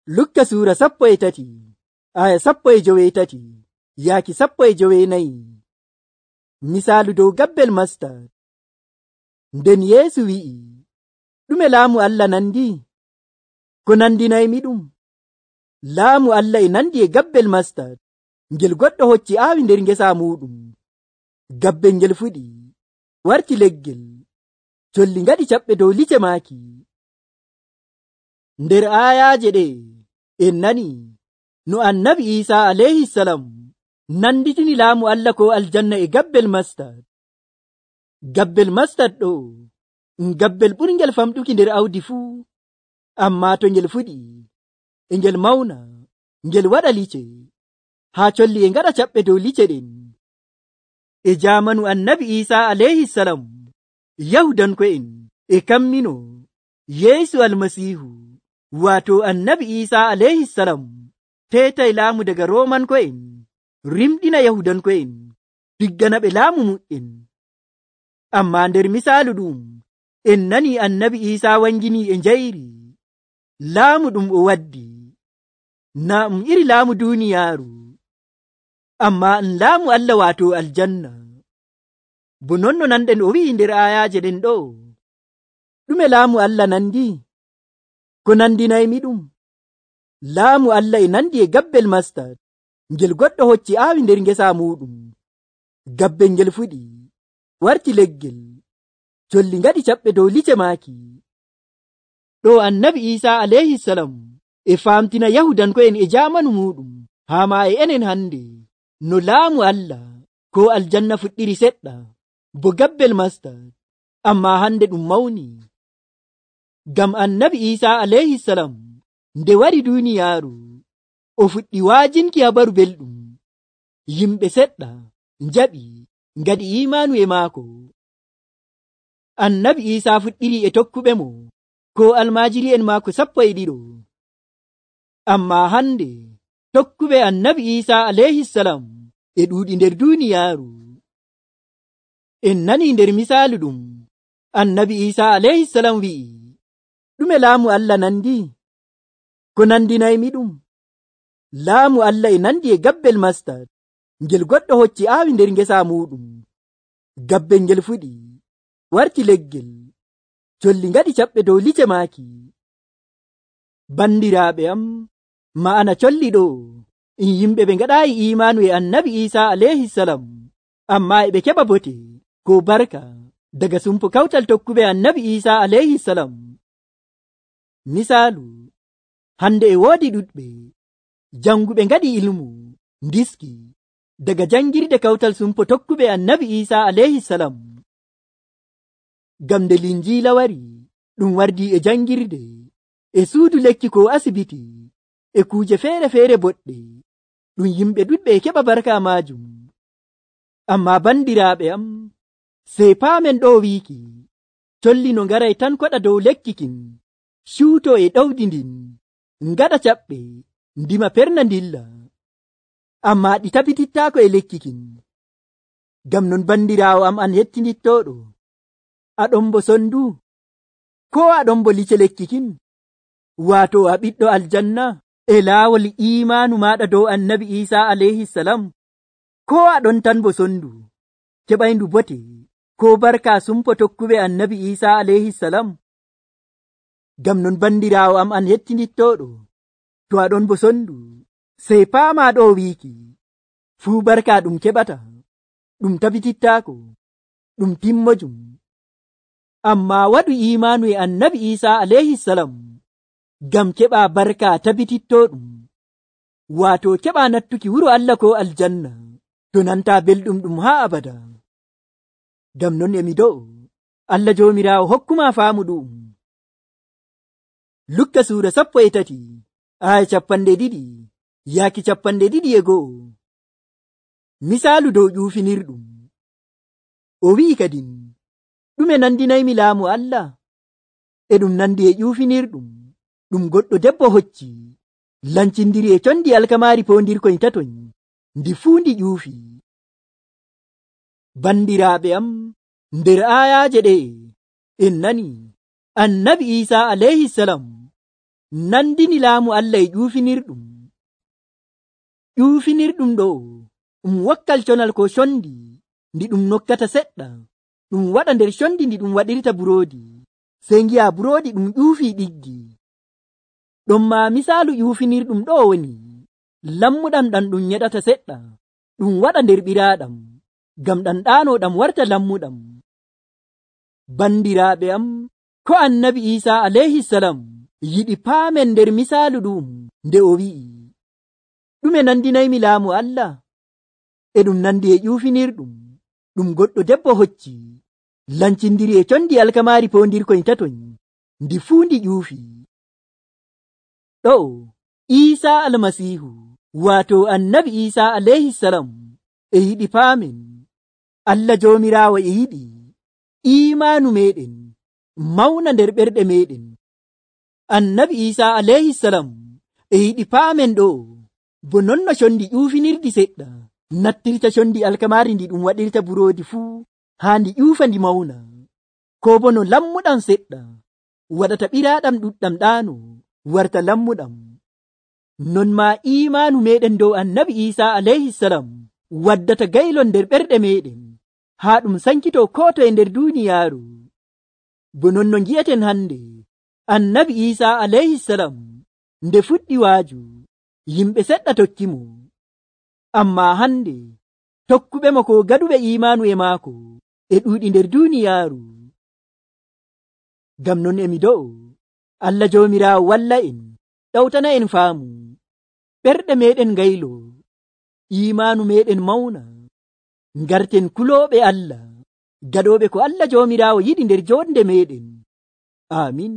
Lukka suura 13 aya 13 yaaki 14. Misaalu dow gabbel mastad. Nden Yeesu wi'i, ɗume laamu Allah nandi? Ko nandinaymiɗum? Laamu Allah e nandi e gabbel mastad ngel goɗɗo hocci aawi nder ngesa muɗum. Gabbel ngel fuɗi, warti leggel, colli ngaɗi caɓɓe dow lice maaki. Nder aayaaje ɗe en nani no annabi Iisa alayhisalam nanditini laamu Allah ko aljanna e gabbel mastad. Gabbel mastad ɗo gabbel ɓurngel famɗuki nder awdi fuu, amma to ngel fuɗi e ngel mawna, ngel waɗa lice, haa colli e ngaɗa caɓɓe dow lice ɗen. E jaamanu annabi Iisa alayhisalam, Yahudanko'en e kammino Yeesu almasiihu, waato annabi Iisa alayhisalam, teetay laamu daga Roomanko'en, rimɗina Yahudanko'en, diggana ɓe laamu mu'en. Amma nder misaalu ɗum en nani annabi Iisa wangini e njayri laamu ɗum o waddi, na iri laamu duuniyaaru, amma laamu Allah waato aljanna. Bo non no nanɗen o wi'i nder aayaaje ɗen ɗo, ɗume laamu Allah nandi? Ko nandinaymiɗum? Laamu Allah e nandi e gabbel mastad ngel goɗɗo hocci aawi nder ngesa muɗum. Gabbel ngel fuɗi, warti leggel, colli ngaɗi caɓɓe dow lice maaki. Ɗo annabi Iisa alayhisalam e famtina Yahudanko'en e jaamanu muɗum, haa ma e enen hande, no laamu Allah ko aljanna fuɗɗiri seɗɗa bo gabbel mastad, amma hande ɗum mawni. Ngam annabi Iisa alayhisalam nde wari duuniyaaru, o fuɗɗi waajinki habaru belɗum. Yimɓe seɗɗa njaɓi ngaɗi iimanu e maako. Annabi Iisa fuɗɗiri e tokkuɓe mo ko almaajiri'en maako 12. Amma hande tokkuɓe annabi Iisa alayhisalam e ɗuuɗi nder duuniyaaru. En nani nder misaalu ɗum annabi Iisa alayhisalam wi'i, ɗume laamu Allah nandi? Ko nandinaymiɗum? Laamu Allah e nandi e gabbel mastad ngel goɗɗo hocci aawi nder ngesa muɗum. Gabbel ngel fuɗi, warti leggel, colli ngaɗi caɓɓe dow lice maaki. Bandiraaɓe am, ma'ana colli ɗo in yimɓe ɓe ngaɗaayi iimanu e annabi Iisa alayhisalam, amma e ɓe keɓa bote ko barka daga sumpo kawtal tokkuɓe annabi Iisa alayhisalam. Misaalu, hande e woodi ɗuɗɓe janguɓe ngaɗi ilmu ndiski daga jangirde kawtal sumpo tokkuɓe annabi Iisa alayhisalam. Ngam nde Linjiila wari, ɗum wardi e jangirde, e suudu lekki ko asibiti, e kuuje feere-feere boɗɗe, ɗum yimɓe ɗuɗɓe e keɓa barka maajum. Amma bandiraaɓe am, sey paamen ɗo wiiki, colli no ngaray tan koɗa dow lekki kin, cuuto e ɗowdi ndin, ngaɗa caɓɓe, ndima perna ndilla, amma ɗi tabitittaako e lekki kin. Ngam non bandiraawo am an hettinittoɗo, aɗon bo sondu, ko aɗon bo lice lekki kin, waato a ɓiɗɗo aljanna e laawol iimanu maɗa dow annabi Iisa alayhisalam, ko aɗon tan bo sondu, keɓayndu bote ko barka sumpo tokkuɓe annabi Iisa alayhisalam. Ngam non bandiraawo am an hettinittoɗo, to aɗon bo sondu, sey paama ɗo wiiki, fuu barka ɗum keɓata, ɗum tabitittaako, ɗum timmojum. Amma waɗu iimanu e annabi Iisa alayhisalam ngam keɓa barka tabitittoɗum, waato keɓa nattuki wuro Allah ko aljanna, to nanta belɗum ɗum haa abada. Ngam non emi do'o Allah joomiraawo hokkuma faamu ɗum. Lukka suura 13 aya 20 yaaki 21. Misaalu dow ƴuufinirɗum. O wi'i kadin, ɗume nandinaymi laamu Allah? E ɗum nandi e ƴuufinirɗum ɗum goɗɗo debbo hocci, lancindiri e condi alkamaari poondirkoy tatoy, ndi fuu ndi ƴuufi. Bandiraaɓe am, nder aayaaje ɗe en nani annabi Iisa alayhisalam nandini laamu Allah e ƴuufinirɗum. ƴuufinirɗum ɗo wakkal conal ko condi ndi ɗum nokkata seɗɗa ɗum waɗa nder condi ndi ɗum waɗirta buroodi, sey ngi'a buroodi ɗum ƴuufi ɗiggi. ɗon ma misaalu ƴuufinirɗum ɗo woni lammuɗam ɗam ɗum nyeɗata seɗɗa ɗum waɗa nder ɓiraaɗam ngam ɗam ɗaanoɗam warta lammuɗam. bandiraaɓe am, ko annabi Isa alayhi salam yiɗi paamen nder misaalu ɗum nde o wi'i, ɗume nandinaymi laamu Allah? e ɗum nandi e ƴuufinirɗum ɗum goɗɗo debbo hocci lancindiri e condi alkamaari pondirkoy tatoy ndi fuu ndi ƴuufi. ɗo Isa almasihu wato annabi Isa alayhi salam e yiɗi paamen Allah joomiraawo e yiɗi imaanu meɗen mawna nder ɓerɗe meɗen. annabi Isa alayhi salam e yiɗi paamen ɗo bo nonno condi ƴuufinirdi seɗɗa nattirta condi alkamaari ndi ɗum waɗirta buroodi fuu haa ndi ƴuufa ndi mawna, ko bo no lammuɗam seɗɗa waɗata ɓiraaɗam ɗuɗɗam ɗaano warta lammuɗam. non ma imaanu meɗen dow annabi Isa alayhi salam waddata gaylon nder ɓerɗe meɗen haa ɗum sankito ko to e nder duuniyaaru. bo non no ngi'eten hande annabi Isa alayhi salam nde fuɗɗi waaju yimɓe seɗɗa tokkimo, amma hande tokkuɓe mo ko gaɗuɓe imaanu e maako e ɗuuɗi nder duuniyaaru. ngam non emi do'o Allah joomiraawo walla en ɗawtana en faamu, ɓerɗe meɗen ngaylo, imaanu meɗen mawna, ngarten kulooɓe Allah, gaɗooɓe ko Allah joomiraawo yiɗi nder jonde meɗen. amin.